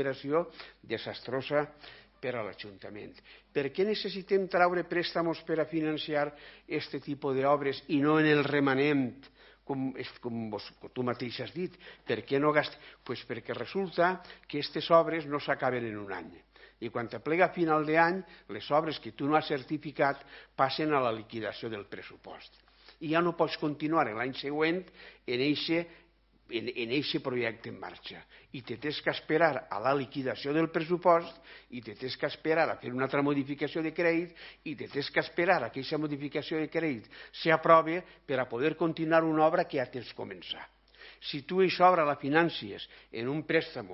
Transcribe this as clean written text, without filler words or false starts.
operació desastrosa per a l'Ajuntament. Per què necessitem treure préstamos per a financiar aquest tipus d'obres i no en el remanent, com tu mateix has dit? Per què no gastar? Doncs perquè resulta que aquestes obres no s'acaben en un any. I quan t'aplega a final d'any, les obres que tu no has certificat passen a la liquidació del pressupost. I ja no pots continuar l'any següent en aquest projecte en marxa. I te tens que esperar a la liquidació del pressupost, i te tens que esperar a fer una altra modificació de crèdit, i te tens que esperar a que aquesta modificació de crèdit s'aprovi per a poder continuar una obra que ja tens començat. Si tu aquesta obra la financies en un préstamo